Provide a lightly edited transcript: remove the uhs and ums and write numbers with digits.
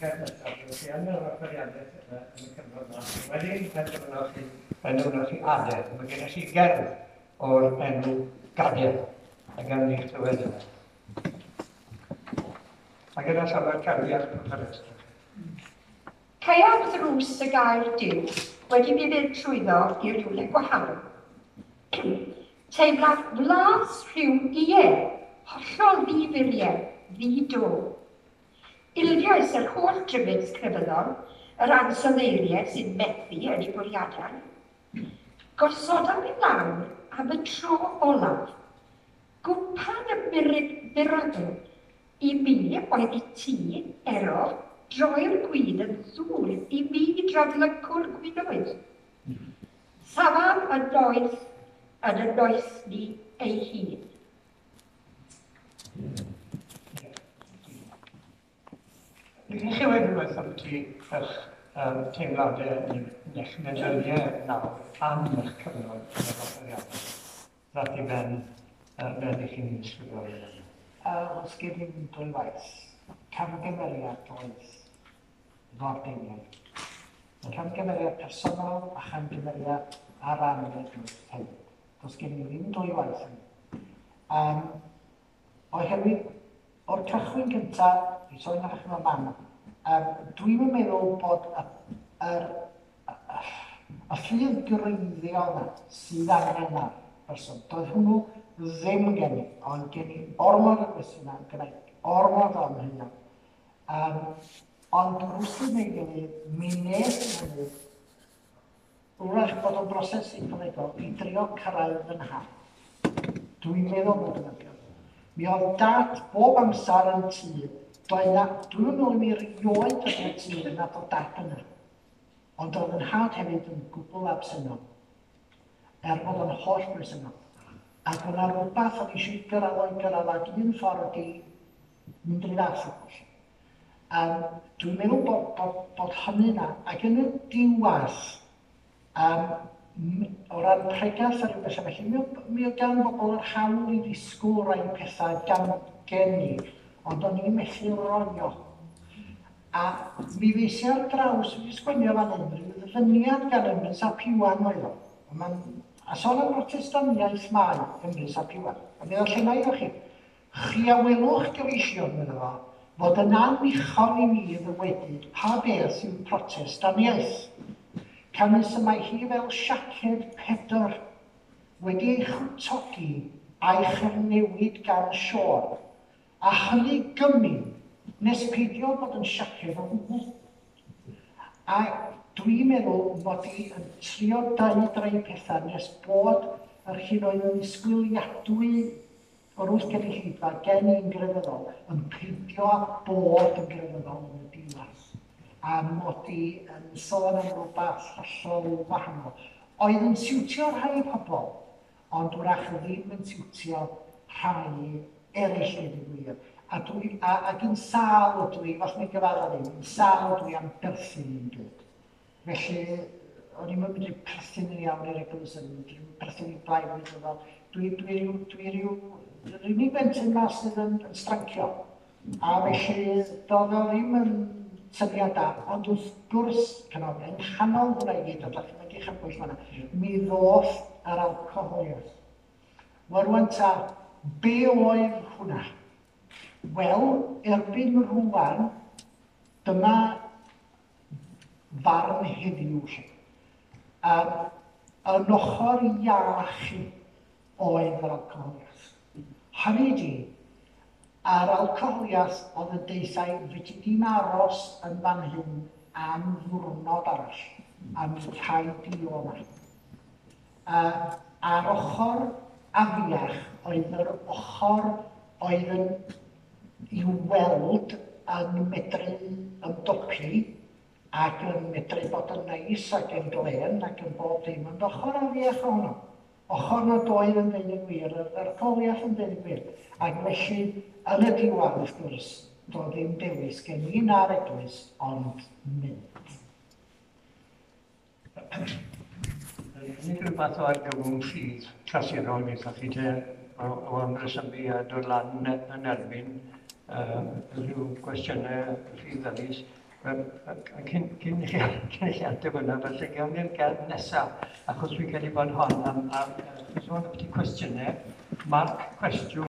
gerdd nesaf, byddwch chi yn yr offeiriadaeth yn y cyfnod yma. Wedyn penderfynoch chi, penderfynoch chi adael. Mae gennych chi gerdd o'r enw Gadael, a gawn ni clywed yna. A gyda llawer cariad wrth y rhestr. Caeaf ddrws y gair Duw wedi mi fynd trwyddo i rywle gwahanol. Teimlaf flas rhyw ie, hollol ddi-furiau, ddi-do. Ildiais yr holl drybys crefyddol, yr ansoddeiriau sy'n methu yn eu bwriadau. Gosodaf i lawr am y tro olaf gwpan y miracle I mi oedd i ti, Ero, droi'r gwin yn ddŵr i mi draflycwr gwinoedd. Safaf yn noeth yn y noethni ei hun. Ydych chi wedi rhywbeth ambiti eich teimladau neu'ch meddyliau nawr am eich cyfnod yn y dosbarthiadau? Ddaeth i ben fel i chi'n ddisgrifio fe fan 'na? Oes gen i'm dwywaith. Camgymeriad oedd f'orddeiniad. Camgymeriad personol a chamgymeriad ar ran yr eglwys hefyd. Does gen i ddim dwywaith hynny. Um, oherwydd o'r cychwyn cyntaf, i sôn ar eich mam, um, dwi'n meddwl bod y, yr Y ffydd greiddiol 'na sydd angen ar berson. Doedd hwnnw ddim gen i, ond gen i ormod o gwestiynau, gen i ormod o amheuon. Um, ond rhywsut neu gilydd, mi nes i hynny, wrach bod o'n broses seicolegol i drio cyrraedd fy nhad. Dwi'n meddwl bod yn ydi. Mi oedd dad bob amser yn tŷ. Doedd na, dwi'n meddwl i mi rioed dod i'r tŷ nad oedd dad yna. Ond oedd yn nhad hefyd yn gwbl absennol, er bod o'n holl bresennol. Ac oedd 'na rywbeth o'n i eisiau gyrraedd o'i gyrraedd ac un ffordd ydi mynd i'r fath o beth. Um, dwi'n meddwl bod, bod, bod hynny yna, ac yn y diwedd, um, o ran pregaeth a rhyw bethau felly, mi, mi oedd gan bobl yr hawl i ddisgwyl rai pethau gan gen i, ond o'n i'n methu roi o. A mi ddes i ar draws, fi 'di sgwennu o fan hyn, rhyw ddyfyniad gan Emrys ap Iwan oedd o. A ma'n, a sôn am Brotestaniaeth mae Emrys ap Iwan. A mi ddarllenai iddo chi. Chi a welwch, gyfeillion, medda fo, fod yn annichon i mi ddywedyd pa beth yw Protestaniaeth. Canys y mae hi fel siaced Pedr, wedi ei chwtogi a'i chyfnewid gan Siôn. A hynny gymin nes peidio bod yn siaced o gwbl. A dwi'n meddwl mod i yn trio deud rai pethau nes bod yr hyn oedd yn ddisgwyliadwy o'r wrth gynulleidfa gen i'n grefyddol yn peidio â bod yn grefyddol yn y diwedd. A mod i yn sôn am rywbeth hollol wahanol. Oedd yn siwtio rhai pobl, ond wrach ddim yn siwtio rhai eraill deud y gwir. A dwi, a, ac yn sâl ydw i, os mi gyfadda ddim, yn sâl ydw i am berthyn i'n byd. Felly, o'n i'm yn medru perthyn yn iawn i'r eglwys, o'n i'n medru perthyn i blaid wleidyddol. Dwi, dwi ryw, dwi ryw, yr unig bentyn ma sydd yn, yn strancio. A felly, doedd o ddim yn syniad da, ond wrth gwrs, cynnal, yng nghanol hwnna i gyd, a dach chi'n mynd i chybwyll fanna, mi ddoth yr alcoholiaeth. Wel rwan ta, be oedd hwnna? Wel, erbyn rwan, dyma farn heddiw lle. Um, yn ochr iach oedd yr alcoholiaeth. Hynny ydi, a'r alcoholiaeth oedd yn deutha i, fedri di'm aros yn fan hyn am ddiwrnod arall, a mi rhaid di o 'ma. A, a'r ochr afiach oedd yr ochr oedd yn i'w weld yn medru ymdopi ac yn medru bod yn neis ac yn glên ac yn bob dim, ond ochr afiach ohono. Ochr nad oedd yn deud y gwir, yr, yr Goliath yn deud y gwir. Ac felly, yn y diwedd, wrth gwrs, doedd ddim dewis gen i na'r eglwys, ond mynd. Nid rhyw fath o argyfwng ffydd clasurol wnaethoch chi te, o, o ymresymu a dod lan yn erbyn rhyw gwestiynau rhy ddyrus. Wel, cyn, cyn i chi, cyn i chi ateb hwnna, felly gawn ni'r gerdd nesaf, achos dwi'n credu bod hon am, am, am sôn ambiti cwestiynau, marc cwestiwn.